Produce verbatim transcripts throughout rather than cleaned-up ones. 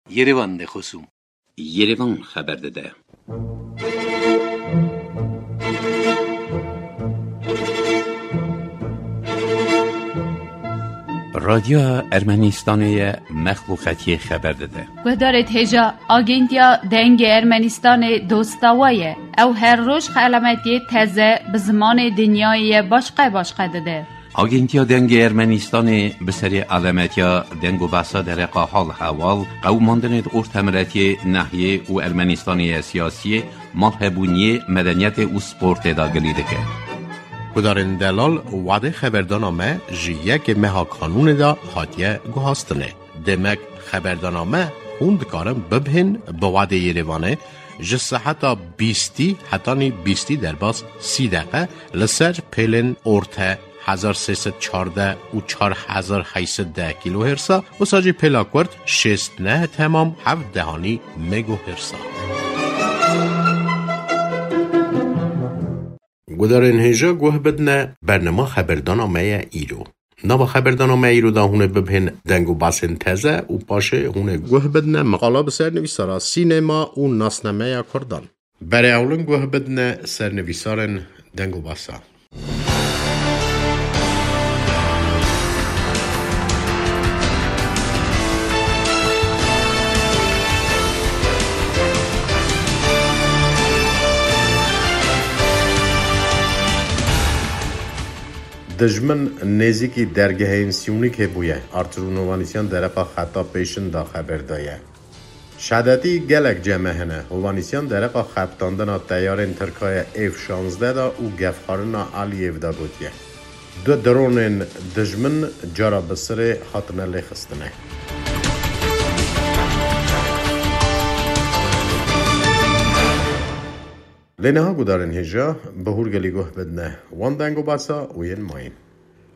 Yerevan de xosûm. Yerevan xeber dide. Radyoya Ermenistanê ye, Mexlûqetiyê xeber dide. Guhdarêt hêja, Agentiya Dengê Ermenistanê dosta we ye. Ew her roj xelametiyê teze bi zimanê dinyayê ye başqe başqe dide. Agentiya Dengê Ermenistanê bi serê alemetiya deng û behsa dereqa hal hewal, qewimandinê di ortemiletiyê, nehiyê û Ermenistanê ye siyasiyê, malhebûniyê, medeniyetê û sportê de gilî dike. Gudarên delal, wadê xeberdana me ji yekê meha kanûnê de hatiye guhastinê. Demek xeberdana me hûn dikarin bibihên bi wadê Yerevanê ji seheta bîstî hetanî bîstî derbas sî deqe li ser pêlên orte hezar sê sed çardeh û çar hezar heyt sed deh kîlohêrsa, wisa jî pêla kurt şêst neh temam heft dehanî megohêrsa. Gudarên hêja guh bidne, bernama xeberdana me ye îro. Nava xeberdana me îro de hûn ê bibihên deng û basên teze û paşê hûn ê guh bidne meqala bi sernivîsara sînema û nasnameya kurdan. Berê ewlin guh bidne sernivîsarên deng û basa. Dijmin nêzîkî dergehên Sîûnîkê bûye, Artur û Novanîsyan dereqa xeta pêşin da xeber daye. Şedetî gelek cem e hene. Hovanîsyan dereqa xebitandina teyarên Tirkaye F şazdeh de û gefxwarina Aliyêv de gotiye. Du dronên dijmin cara bi sirê hatine lêxistine. Lê niha gudarên hêja bi hûrgelî guh bidine wan deng û basa û yên mayîn.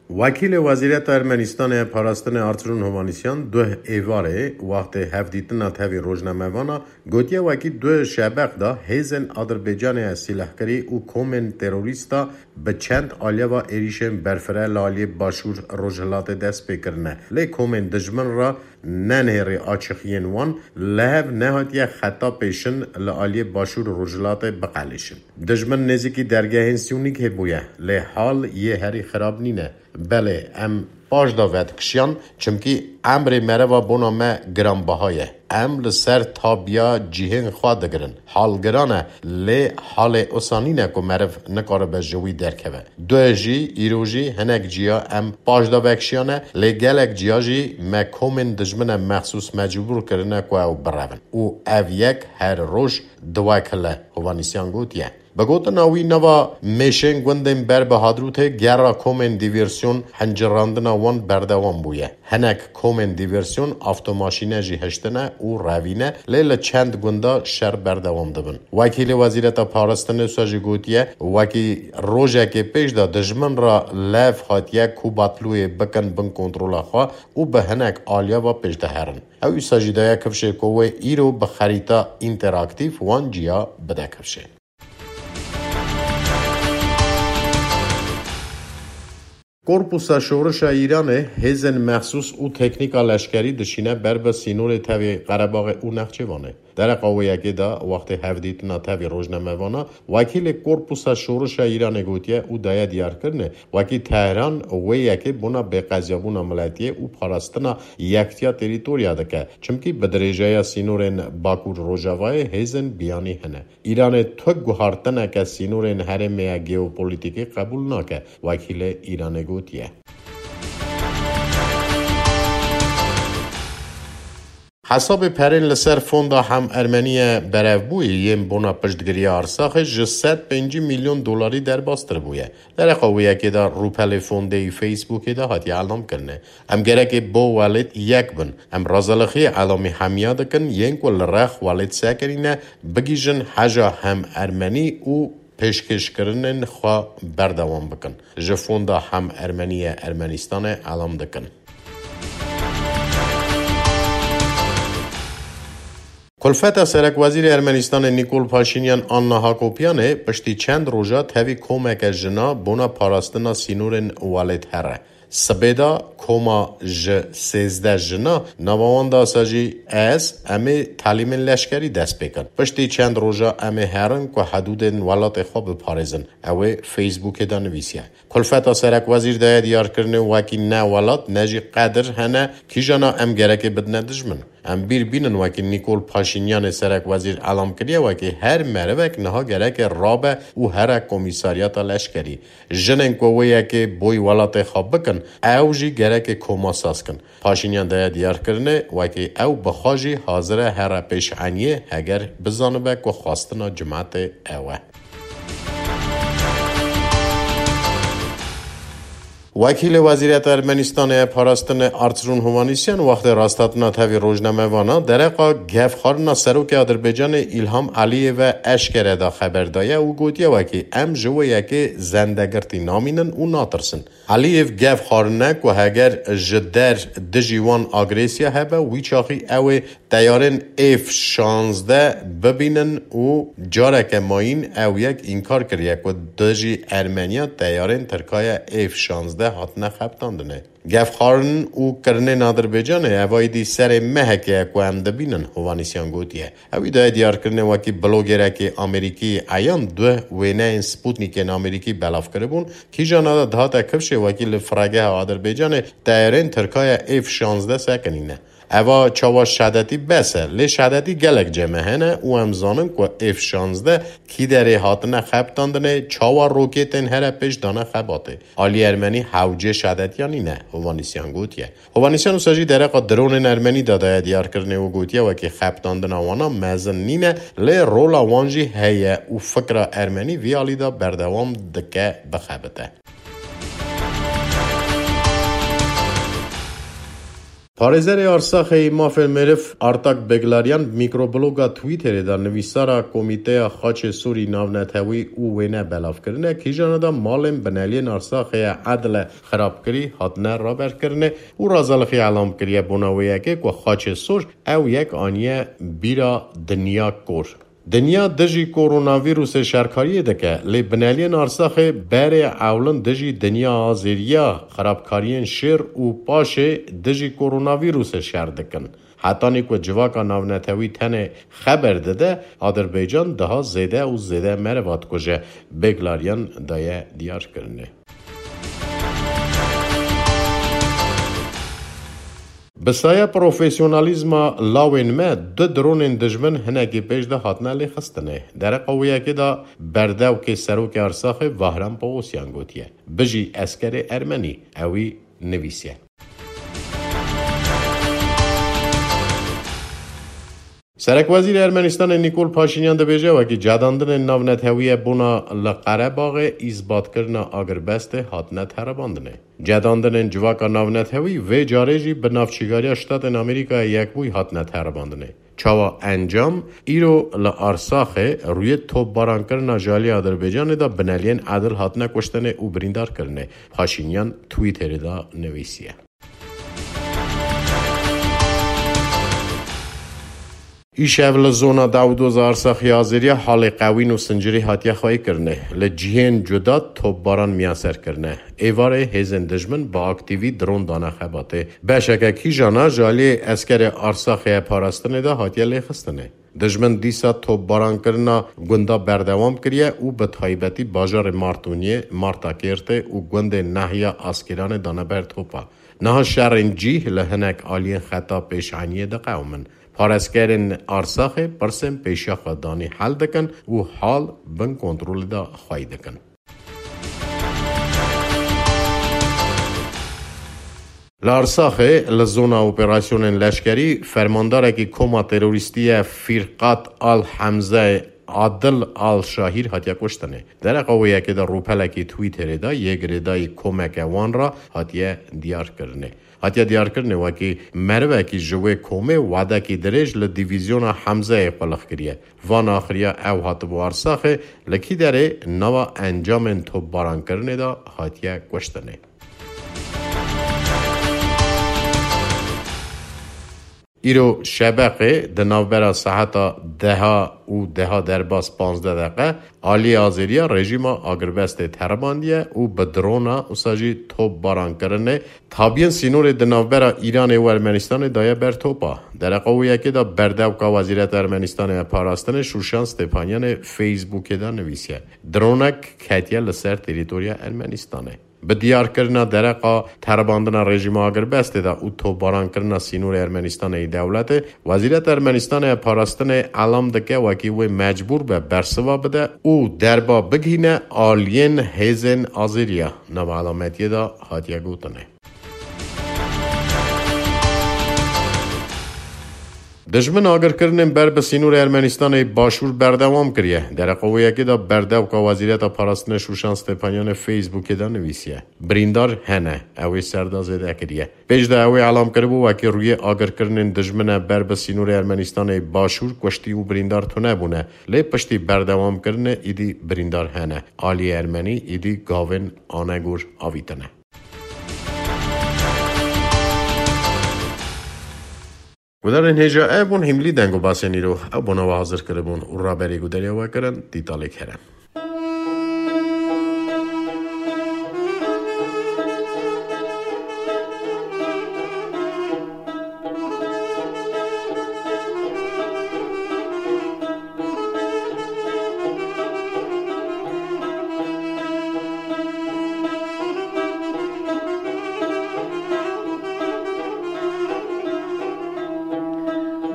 Wekîlê Wezîreta Ermenistanê ya Parastinê Arturûn Hovanîsyan duh êvarê wextê hevdîtina tevî rojnamevana gotiye, wekî duh şebeq de hêzên Adirbaycanê ya sîlehkirî û komên terorîsta bi çend aliyeva êrîşên berfireh li aliyê Başûr Rojhilatê dest pê kirine. Lê komên dijmin re nenihêrî açixiyên wan li hev nehatiye xeta pêşin li aliyê Başûr Rojhilatê biqelêşin. Dijmin nêzîkî dergehên Sîûnîkê bûye, lê hal yê herî xirab nîne. Belê, em paş de vedikişiyan, çimkî emrê meriva bona me giranbaha ye. Em li ser tabiya cihên xwe digirin. Hal giran e, lê halê usa nîne ku meriv nikaribe ji wî derkeve. Duh jî, îro jî hinek ciya em paş de vekişiyane, lê gelek ciya jî me komên dijmine mexsûs mecbûr kirine ku ew birevin. Û ev yek her roj diwekile, Hovanîsyan gotiye. Bi gotina wî, nava mêşên gundên ber bi Hadrûtê gera komên dîvêrsyon hincirandina wan berdewam bûye. Hinek komên dîvêrsyon avtomaşîne jî hiştine û revîne, lê li çend gunda şer berdewam dibin. Wekîlê Wezîreta Parastinê wisa jî gotiye, wekî rojekê pêş de dijmin re lev hatiye ku Batlûyê bikin bin kontrola xwe û bi hinek aliya ve pêş de herin. Ew wisa jî daye kifşê ku wê îro bi xerîta înteraktîf wan ciya bide kifşê. Korpusa Şorişa Îranê hêzên mexsûs û teknîka leşkerî dişîne ber bi sînorê tevî Qerebaxê û Nexçêvanê. Dereqa wê yekê de, wextê hevdîtina tevî rojnamevana, wekîlê Korpusa Şorişa Îranê gotiye û daye diyarkirinê, wekî Tehran wê yekê bona bêqeziyabûna miletiyê û parastina yektiya terîtorya dike, çimkî bi dirêjeya sînorên Bakur Rojavayê hêzên biyanî hene. Îranê tu guhartineke sînorên herêmê ya geopolitîkî qebûl nake, wekîlê Îranê gotiye. Hesabê perên li ser fonda Hem Ermeniye berevbûyî yên bona piştgiriya Arsaxê ji sed pêncî milyon dolarî derbastir bûye. Dereqa wê yekê de rûpelê fondê yî Facebookê de hatiye elamkirinê. Em gerekê bo welêt yek bin. Em razalixiyê elamî hemiya dikin, yên ku li rex welêt sekinîne, bigihîjin heja Hem Ermenî û pêşkêşkirinên xwe berdewam bikin. Ji fonda Hem Ermeniye Ermenistanê elam dikin. Kulfeta Serekwezîrê Ermenistanê Nîkol Paşînyan an niha Kopiyanê piştî çend roja tevî komeke jina bona parastina sînorên welêt here. Sibê de koma ji sêzdeh jina, nava wan de sa jî ez, em ê telîmên leşkerî dest pê kin. Piştî çend roja em ê herin ku hedûdên welatê xwe biparêzin, ew ê Facebookê de nivîsiye. Kulfeta serekwezîr daye diyarkirinê wekî ne welat, ne jî qedir hene, kîjana em gerekê bidine dijmin. Em bîr bînin wekî Nîkol Paşînyanê serekwezîr elam kiriye, wekî her merivek niha gereke rabe û here komîsaryata leşkerî. Jinên ku wê yekê boy welatê xwe bikin, ew jî gereke koma saz kin. Paşînyan daye diyarkirinê wekî ew bi xwe jî hazir e here pêşeniyê, heger bizanibe ku xwestina cimetê ew e. Wekîlê Wezîriyeta Ermenistanê ya Parastinê Artsrûn Hovanîsyan wextê rasthatina tevî rojnamevana dereqa gevxwarina Serokê Adirbaycanê Îlham Eliyê ve eşkere da xeber daye û gotiye wekî em ji wê yekê zendegirtî namînin û natirsin. Eliyê gevxwarine ku heger ji der dijî wan agresiya hebe, wî çaxî ew ê teyarên F şazdeh bibînin û careke mayîn ew yek înkar kiriye ku dijî Ermeniya teyarên Tirkaya F şazdeh hatine xebitandinê. Gevxwarin û kirinên Adirbaycanê ev aydî serê mehekê ye ku em dibînin, Hovanîsyan gotiye. Ewî daye diyarkirinê wekî blogerekî Amerîkî eyan du wêneyên Sputnikên Amerîkî belav kiribûn, kîjana de dihate kifşê wekî li firegeha Adirbaycanê teyarên Tirkaya F şazdeh sekinîne. Eva çawa şedetî bes e, lê şedetî gelek cem e hene û em zanin ku F şazdeh kî derê hatine xebitandinê, çawa roketên here pêş dane xebatê. Alî Ermenî hewcê şedetiya nîne, Hovanîsyan gotiye. Hovanîsyan wisa jî dereqa dronên Ermenî de daye diyarkirinê û gotiye wekî xebitandina wana mezin nîne, lê rola wan jî heye û fikra Ermenî vî alî de berdewam dike bixebite. Parêzerê Arsaxê yê Mafên Meriv Artak Beglaryan bi mîkrobloga Twitterê de nivîsara Komîteya Xaçê Sûrî Navnetewî û wêne belav kirine, kîjana de malên bineliyên Arsaxê ye edle xirabkirî hatine raberkirinê û razalixiya elam kiriye bona wê yekê ku Xaçê Sûr ew yek aniye bîra dinya kor. Dinya dijî koronavîrusê şerkariyê dike, lê bineliyên Arsaxê berê ewlin dijî dinya azêriya xirabkariyên şêr û paşê dijî koronavîrusê şer dikin. Hetanî ku civaka navnetewî tenê xeber dide, Adirbaycan daha zêde û zêde meriva dikuje, Beglaryan daye diyarkirinê. Bi saya profesyonalîzma lawên me du dronên dijmin hinekî pêş de hatine lêxistinê. Dereqa wê yekê de berdevkê serokê Arsaxê Vahrem Pawosyan gotiye, Bijî eskerê ermenî, ewî nivîsiye. Serekwezîrê Ermenistanê Nîkol Paşînyan dibêje, wekî cedandinên navnetewî ye bona li Qerebaxê îsbatkirina agirbestê hatine teribandinê. Cedandinên civaka navnetewî vê carê jî bi navçîgariya Ştatên Amerîkaya Yekbûyî hatine teribandinê. Çawa encam, îro li Arsaxê rûyê topbarankirina ji alî Adirbaycanê de bineliyên edil hatine kuştinê û birîndar kirinê, Paşînyan Twitterê de nivîsiye. Îşev li zona Dawdoza Arsaxê Azêriya halê qewîn û sincirî hatiye xweyîkirinê. Li cihên cuda topbaran miyaser kirine. Êvarê hêzên dijmin bi aktîvî dron dane xebatê. Beşeke kîjana ji alî eskerê Arsaxê parastinê de hatiye lêxistinê. Dijmin dîsa topbarankirina gunda berdewam kiriye û bi taybetî bajarê Martûniyê, Martakêrtê û gundê Nehiya Askîranê dane ber topa. Niha şerên cîh li hinek aliyên xeta pêşeniyê diqewimin. Paraskerên Arsaxê pirsên pêşiya xwe danî hel dikin û hal bin kontrolê de xwey dikin. Li Arsaxê, li zona operasyonên leşkerî, fermandarekî koma terorîstî ye Fîrqat Al Hemze Adil Al Şahîr hatiye kuştinê. Dereqa wê yekê de rûpelekî Twitterê de yê girêdayî komeke wan re hatiye diyarkirinê. Hatiye diyarkirinê wekî merivekî ji wê komê wadekî dirêj li dîvîzyona Hemzeyê qulix kiriye. Van axiriya ew hatibû Arsaxê, li kî derê nava encamên topbarankirinê de hatiye kuştinê. Îro şebeqê di navbera saeta deha û deha derbas panzdeh deqe aliyê azêriya rejîma agirbestê teribandiye û bi drona wisa jî topbarankirinê tabiyên sînorê di navbera Îranê û Ermenistanê daye ber topa. Dereqa wê yekê de berdevka Wezîreta Ermenistanê ya Parastinê Şûşan Stepanyanê Facebookê de nivîsiye, dronek ketiye li ser terîtoriya Ermenistanê. Bi diyarkirina dereqa teribandina rejîma agirbestê de û topbarankirina sînorê Ermenistanê yê dewletê, Wezîreta Ermenistanê ya Parastinê elam dike wekî wê mecbûr be bersiva bide û derba bigihîne aliyên hêzên Azêriya. Nava elametiyê de hatiye gotinê. Dijmin agirkirinên ber bi sînorê Ermenistanê başûr berdewam kiriye. Dereqa wê yekê de berdevka Wezîreta Parastinê Şûşan Stepanyanê Facebookê de nivîsiye, birîndar hene, ew ê ser de zêde kiriye. Pêş de ew ê elam kiribû wekî rûyê agirkirinên dijmin e ber bi sînorê Ermenistanê başûr kuştî û birîndar tune bûne. Lê piştî berdewamkirinê îdî birîndar hene. Aliyê Ermenî îdî gavên anegor avîtine. Gudarên hêja ev bûn hîmlî deng û basên îro. Ew bona we hazir kiribûn û raberî gudariya we kirin Dîtalê Kerem.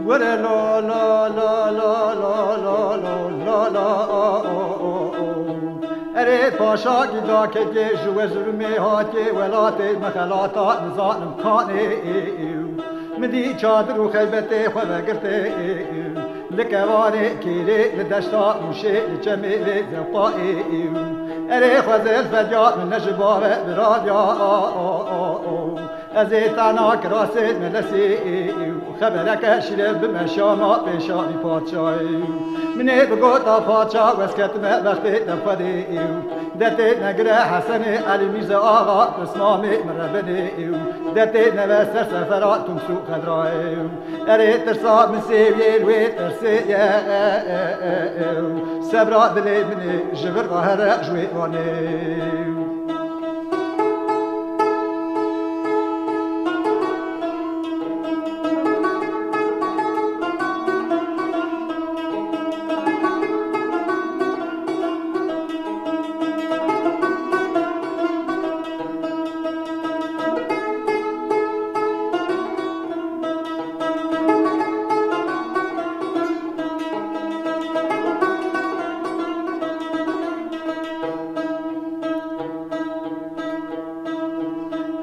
Were la la la la la la la la la la o o o. Erê paşa gîda kekê ji we zulmê hatê welatê me xelata nizanim kanê. Min dî çadir û xeybetê xwe vegirtê. Li kevanê kêrê, li deşta ûşê, li çemê vê zewqayê. Erê xwezê li fedya min ne ji bave biradya. Ez ê tana kirasê melesê. Xebereke şîrê bime şama pêşa vî padşayê. Min ê bigota padşa wes ketime bextê te Xwedê. Detê negire Hesenê Elî Mîrze Axa, pismamê min rebinê. Detê neve ser sefera Tûms û Xedrayê. Erê tirsa min sêwiyê li wê tirsê ye. Sebra dilê min ê ji vir re here ji wê anê.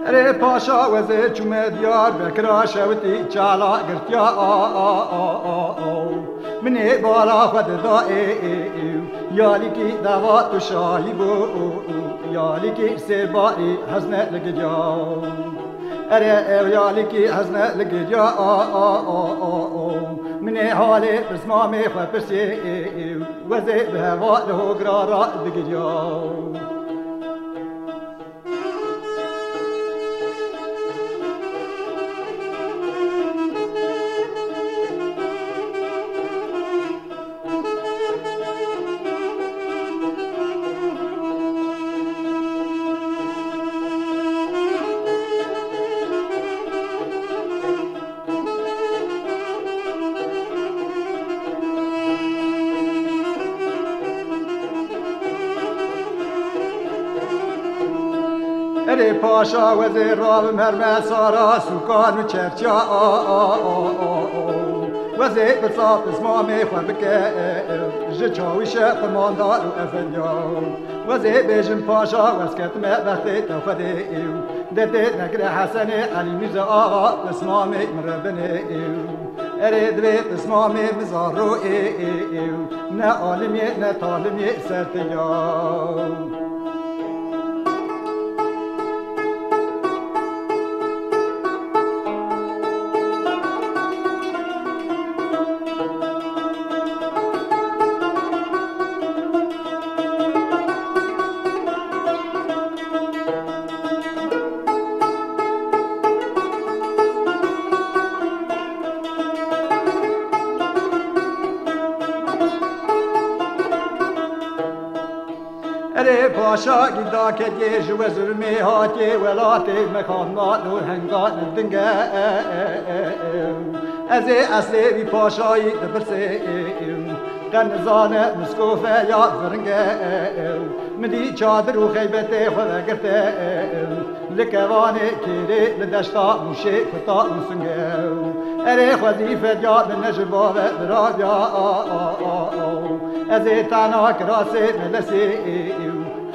Erê paşa wezê çûme Diyarbekira şewitî çala girtiya a a a a a. Min ê bala xwe dida ê ê ê. Yalîkî dava tu şahî bû û û. Yalîkî sêbarî hezne li gidiya. Erê ew yalîkî hezne li gidiya a a a a a. Min ê halê pismamê xwe pirsê ê ê. Wezê bi heva li hogira ra digiriya. Erê paşa wezê ravim herme sara sûkan û çerçiya a a a a a. Wezê pirsa pismamê xwe bike, ji çawîşe qimandar û efendiya. Wezê bêjim paşa wez ketime bextê te Xwedê. Detê negire Hesenê Elî Mîrze Axa, pismamê min re binê. Erê divê pismamê min zaro ê ê ê. Ne alimê ne talimê ser te ya. Paşa gîdakekê ji we zulmê hatiye welatê me xanma dor hengan dinge. Ez ê eslê wî paşayî dipirsê. Qe nizane miskofe ya viringe. Min dî çadir û xeybetê xwe vegirte. Li kevanê kêrê li deşta mûşê kuta û singe. Erê xwezî fedya min ne ji bave biraviya. Ez ê tana kirasê melesê.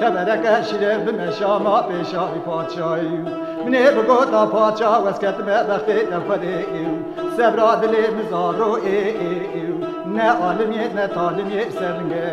Xebereke şîre bime şama pêşa wî padşayî. Min ê bigota padşa wez ketime bextê te Xwedê. Sebra dilê min zaro ê. Ne alimê ne talimê ser linge.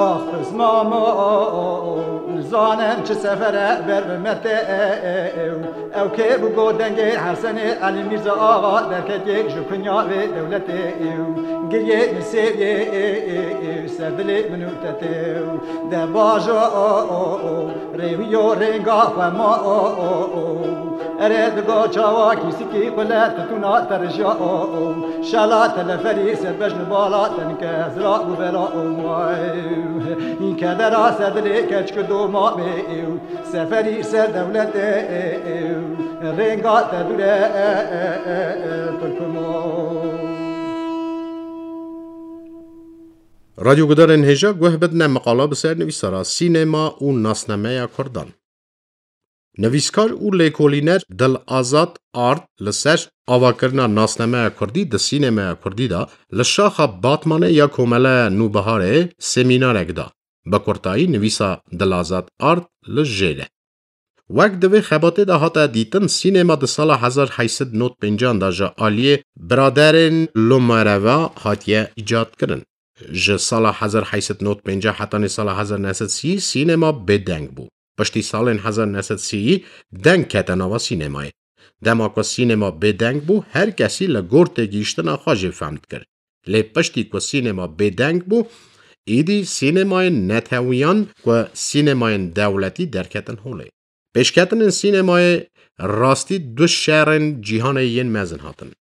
Ax, pismamo, nizanim çi sefere ber bi me tê. Ew kê bi got dengê Hesenê Elî Mîrza Axa derketê ji kunya vê dewletê. Giriyê min sêviyê ser dilê min û te tê. De bajo rêwiyo rênga xwe ma. Ere digo çawa kîsikî xwe le titûna te rijya. Şala teleferî serbeş li bala tenke zira û bela. Kedera ser dilê keçik doma bê. Seferî ser dewletê rênga te dûre Turkumo. Radyogudarên hêja guh bidine miqala bi ser nivîsara sînema û nasnameya Kurdan. Nivîskar û lêkolîner Dil Azad Ard li ser avakirina nasnameya Kurdî di sînemeya Kurdî de li şaxa Batmanê ya Komeleya Nûbiharê semînarek da. Bi kurtayî nivîsa Dil Azad Ard li jêr e. Wek di vê xebatê de hate dîtin, sînema di sala hezar heyt sed nod pêncan de ji aliyê biraderên Lomareva hatiye îcad kirin. Ji sala hezar heyt sed nod pêncî hetanî sala hezar neh sed sî sînema bêdeng bû. Piştî salên hezar neh sed sî deng kete nava sînemayê. Dema ku sînema bêdeng bû, her kesî li gor têgihiştina xwe jê fehm dikir. Lê piştî ku sînema bêdeng bû, îdî sînemayên netewiyan ku sînemayên dewletî derketin holê. Pêşketinên sînemayê rastî du şerên cîhanê yên mezin hatin.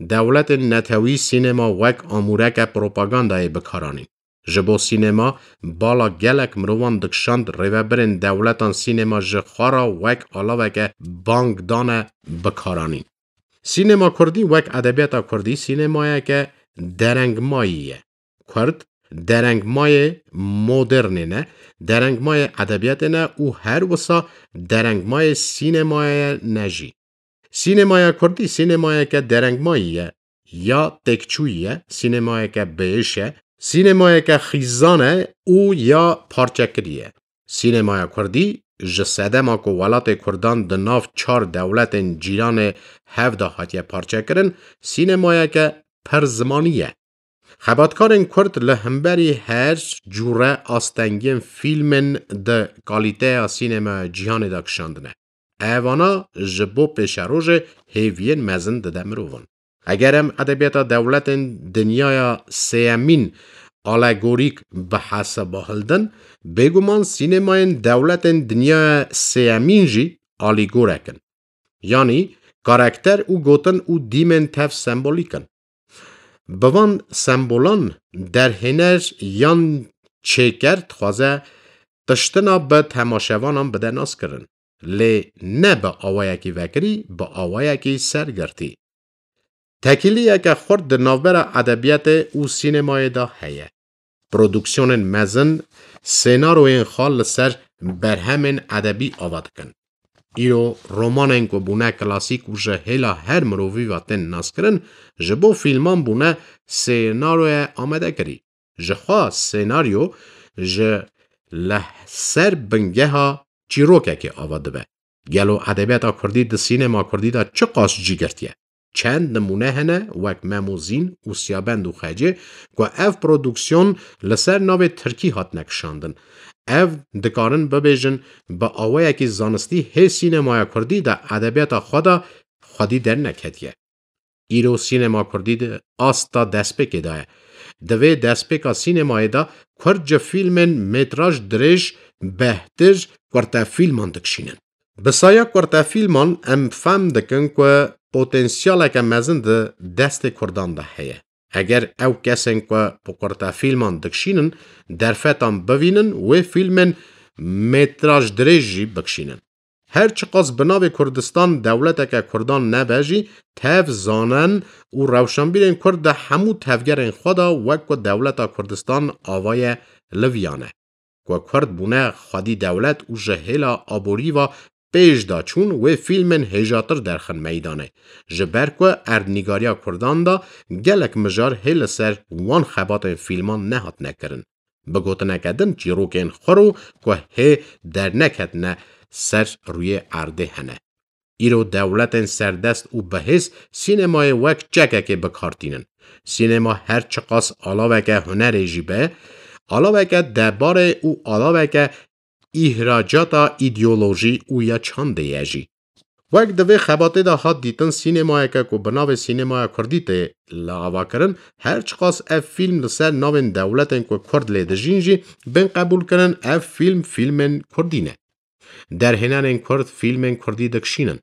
Dewletên netewî sînema wek amûreke propagandayê bi kar anîn. Ji bo sînema bala gelek mirovan dikişand, rêvebirên dewletan sînema ji xwe re wek alaveke bang dane bi kar anîn. Sînema kurdî wek edebiyata kurdî sînemayeke derengmayî ye. Kurd derengmayê modernê ne, derengmayê edebiyatê ne û her wisa derengmayê sînemayê ne jî. Sînemaya kurdî sînemayeke derengmayî ye, ya têkçûyî ye, sînemayeke bêhiş e, sînemayeke xîzan e û ya parçekirî ye. Sînemaya kurdî ji sedema ku welatê kurdan di nav çar dewletên cîranê hev de hatiye parçekirin, sînemayeke pir zimanî ye. Xebatkarên kurd li hemberî her cûre astengiyên fîlmên di kalîteya sînemeya cîhanê de kişandine. Evana ji bo pêşerojê hêviyên mezin dide mirovan. Eger em edebiyata dewletên dinyaya sêyemîn alegorîk bi hesaba hildin, bêguman sînemayên dewletên dinyaya sêyemîn jî alîgorek in. Yanî karakter û gotin û dîmên tev sembolîk in. Bi van sembolan derhêner yan çêker dixwaze tiştina bi temaşevanan bide naskirin, lê ne bi awayekî vekirî, bi awayekî sergirtî. Tekîliyeke xurt di navbera edebiyatê û sînemayê de heye. Produksiyonên mezin sênaroyên xwe li ser berhemên edebî ava dikin. Îro romanên ku bûne klasîk û ji hêla her mirovî ve tên naskirin, ji bo fîlman bûne sênaroye amadekirî. Jixwe sênaryo ji li ser bingeha çîrokekê ava dibe. Gelo edebiyata kurdî di sînema kurdî de çiqas cî girtiye? Çend nimûne hene wek Mem û Zîn û Siyabend û Xecê ku ev produksiyon li ser navê tirkî hatine kişandin. Ev dikarin bibêjin, bi awayekî zanistî hê sînemaya kurdî de edebiyata xwe de xwedî derneketiye. Îro sînema kurdî di asta destpêkê de ye. Di vê destpêka sînemayê de kurd ji fîlmên metraj dirêj, behtir, kurtefîlman dikişînin. Bi saya kurtefîlman em fehm dikin ku potansiyaleke mezin di destê kurdan de heye. Eger ew kesên ku bi kurtefîlman dikişînin derfetan bivînin, wê fîlmên metraj dirêj jî bikişînin. Her çiqas bi navê Kurdistan dewleteke kurdan nebe jî, tev zanen û rewşenbîrên kurd di hemû tevgerên xwe de wek ku dewleta Kurdistan avaye li viya ne. Ku kurd bûne xwedî dewlet û ji hêla aborî ve pêş de çûn, wê fîlmên hêjatir derxin meydanê. Ji ber ku erdnîgariya kurdan de gelek mijar hê li ser wan xebatên fîlman nehatine kirin. Bi gotineke din, çîrokên xwe ro ku hê derneketine ser rûyê erdê hene. Îro dewletên serdest û bihêz sînemayê wek çekekê bi kar tînin. Sînema her çiqas alaveke hunerê jî be, alaveke debarê û alaveke îhracata îdeolojî û ya çandê ye jî. Wek di vê xebatê de hat dîtin, sînemayeke ku bi navê sînemaya kurdî tê li ava kirin, her çiqas ev fîlm li ser navên dewletên ku kurd lê dijîn jî bên qebûl kirin, ev fîlm fîlmên kurdî ne. Derhênerên kurd fîlmên kurdî dikişînin.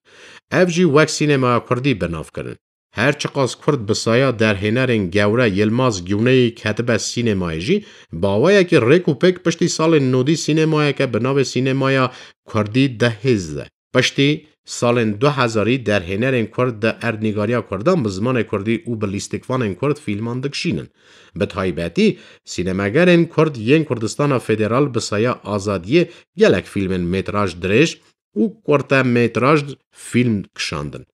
Ev jî wek sînemaya kurdî bi nav kirin. Her çiqas kurd bi saya derhênerên gewre Yilmaz Gûneyî ketibe sînemayê jî, bi awayekî rêk û pêk piştî salên nodî sînemayeke bi navê sînemaya kurdî dihêze. Piştî salên du hezarî derhênerên kurd di erdnîgariya kurdan bi zimanê kurdî û bi lîstikvanên kurd fîlman dikişînin. Bi taybetî, sînemegerên kurd yên Kurdistana Federal bi saya Azadiyê gelek fîlmên metraj dirêj û kurtemetraj fîlm kişandin.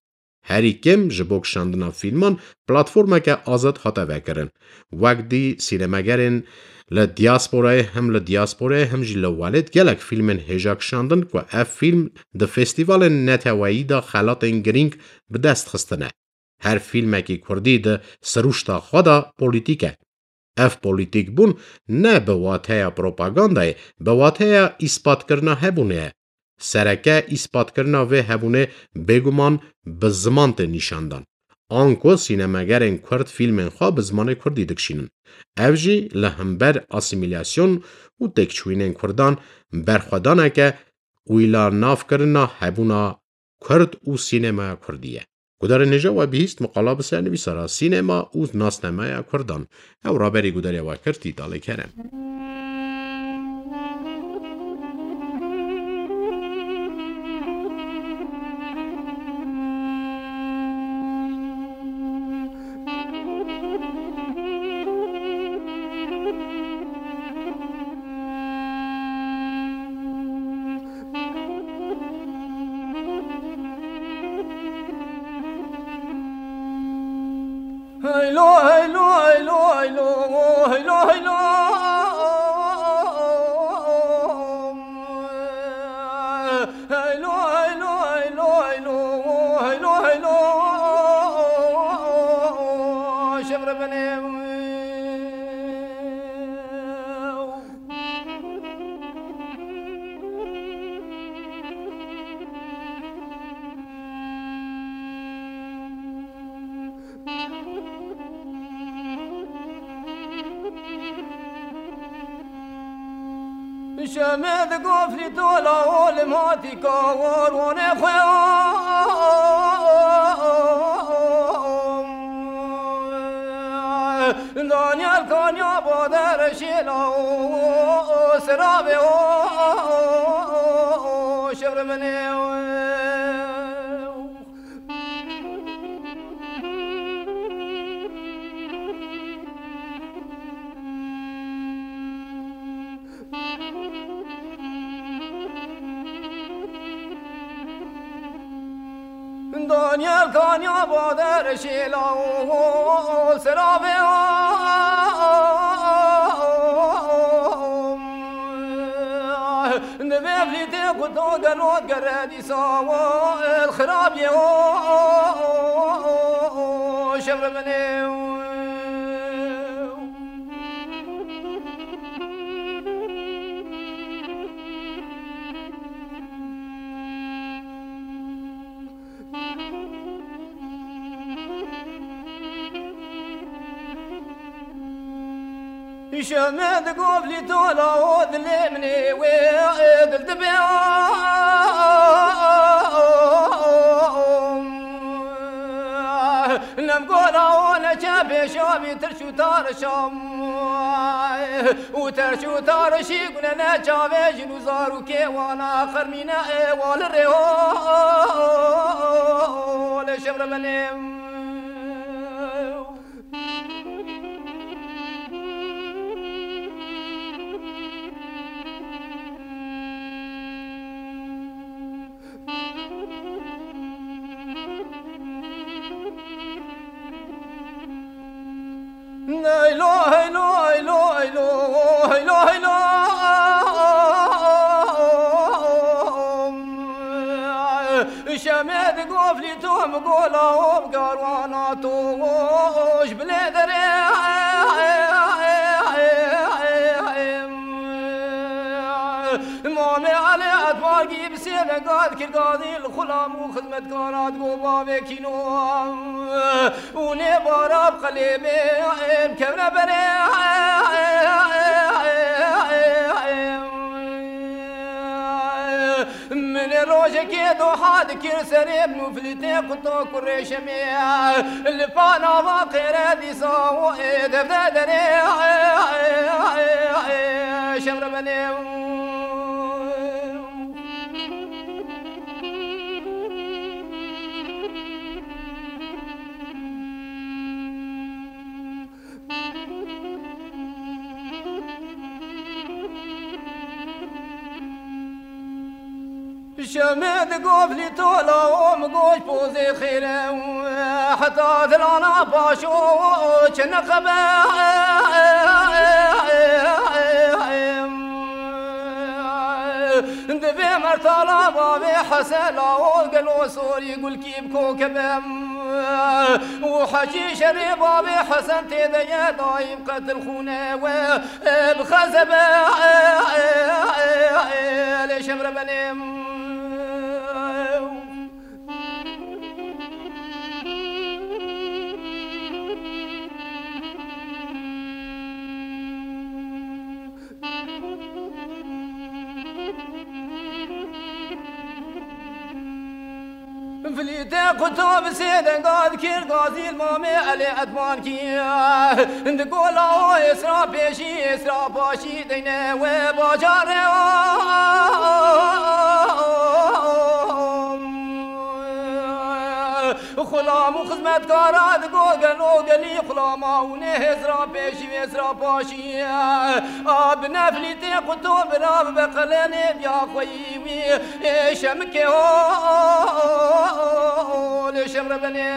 Herî kêm ji bo kişandina fîlman platformeke azad hate vekirin. Wek dî sînemegerên li diasporayê, him li diasporayê him jî li welêt gelek fîlmên hêja kişandin ku ev fîlm di festîvalên neteweyî de xelatên girîng bi dest xistine. Her fîlmekî kurdî di sirûşta xwe de polîtîk e. Ev polîtîkbûn ne bi wateya propagandayê, bi wateya îspatkirina hebûnê ye. Sereke îspatkirina vê hebûnê bêguman bi ziman tê nîşandan. Anku sînemegerên kurd fîlmên xwe bi zimanê kurdî dikişînin. Ev jî li hember asîmîlasyon û têkçûyînên kurdan berxwedaneke wîlanavkirina hebûna kurd û sînemaya kurdî ye. Gudarên hêja we bihîst, miqala bi sernivîsa re sînema û nasnameya kurdan. Ew raberî gudariya we kir Tîtalê Kerem. Heylo, heylo, heylo, heylo, heylo, heylo. Heylo, heylo, heylo, heylo, heylo, heylo. Şevre bene. Şemê di gofrî tola olim hatî kawar wane xwe. Danyal kanya bader şêla o, o, o, serabe o, o, o, o, şevre mene o. Daniel kanya bader şêla o serave o. Divê vîtê ku to gelo gere dîsa o el xirabiyê o şevre minê. Şemê di govlî tola û dilê min ê wê dil dibe. Nem gola û neçe pêşa vî tirş û tarişam. Û terş û tarişî gune ne çavê jin û zarokê wana xermîne ê wali rê ho. Lê şevremenê. Leylo, heylo, heylo, heylo, heylo, heylo. Şemê di goflî to mi gola û bi garwana to ji bilê derê. Mamê Elê Etbargî bi sê venga dikir gazî li xulam û xizmetkara digo bavê kîno û nê bara bi qelêbê em kevne berê. Min ê rojekê doha dikir serê min û filîtê quto kurê şemê. Li panava qêre dîsa û ê devde derê. Şevremenê. Şemê di goflî tola û mi goş pozê xêre û heta dilana paşo çi nexebe. Divê mertala bavê Hesela û gelo sorî gulkî bi kokebem. Û heçî şerê bavê Hesen tê de ye daîm qetil xûne we. Bi xezebe lê şevrebenê. Filîtê quto bi sê denga dikir gazî li mamê Elê Etmankî. Di gola o êsra pêşî, êsra paşî deyne wê bajarê o. Xulam û xizmetkara digo gelo gelî xulama û nê hêzra pêşî, êsra paşî. A bi neflîtê quto bira bi beqelenê biya xweyî wî. Ê şemikê ho, lê şevrebenê.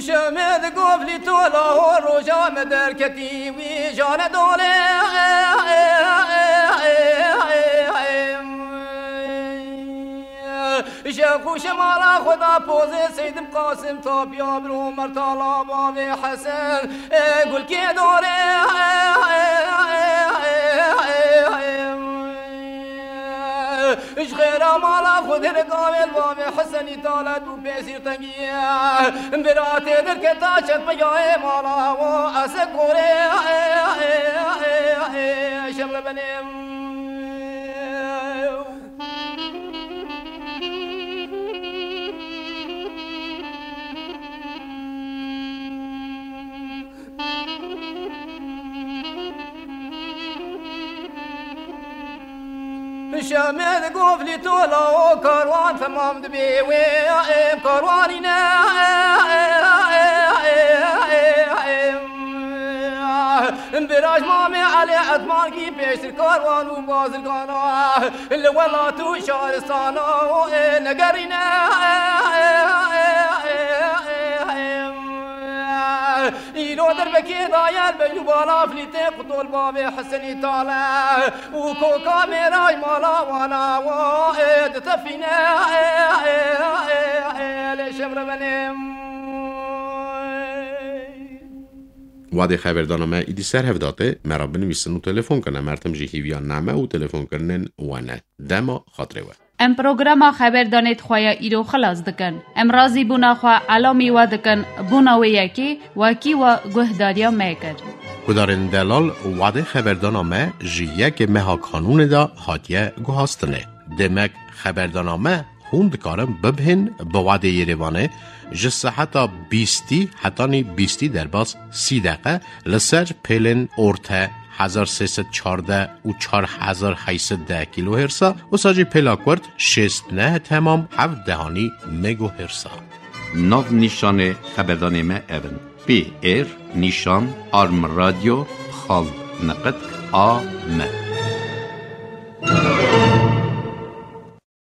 Şemê di goflî tola ho roja me derketî wî jane dolê. Şex û şemala xwe da pozê Seydim Qasim tapiya bir Omer tala bavê Hesen gulkê dorê. Ji xêra mala xwe dê gavê li bavê Hesenî tala dû pêsîr tengiye. Bira tê derketa çend peyayê mala wo ese korê. Şevrebenê. Şemê di goflî tola o karwan temam dibê wê em karwanî ne. Biraj mamê Elê Etmankî pêştir karwan û bazirgana li welat û şaristana û ê negerîne. Îro derbekê daye li beyl û bala filîtê qutol bavê Hesenî tale û koka mêraj mala wana wo ê ditefîne. Lê şevrebenê. Wadê xeberdana me îdî ser hev date, me re binivîsin û telefon kine. Mertim jî hîviya name û telefonkirinên we ne. Dema xatirê we. Em programa xeberdanê xwe ya îro xilas dikin. Em razîbûna xwe elamî we dikin, bûna wê yekê wekî we guhdariya me kir. Gudarên delal, wadê xeberdana me ji yekê meha kanûnê de hatiye guhastinê. Demek xeberdana me hûn dikarin bibhên bi wadê Yerêvanê ji seheta bîstî hetanî bîstî derbas sî deqe li ser pêlên orte hezar sê sed çardeh û çar hezar heyt sed deh kîlohêrsa, wisa jî pêla kurt şêst neh temam heft dehanî megohêrsa. Nav nîşanê xeberdanê me ev in: P R nîşan arm radio xal niqitk a m.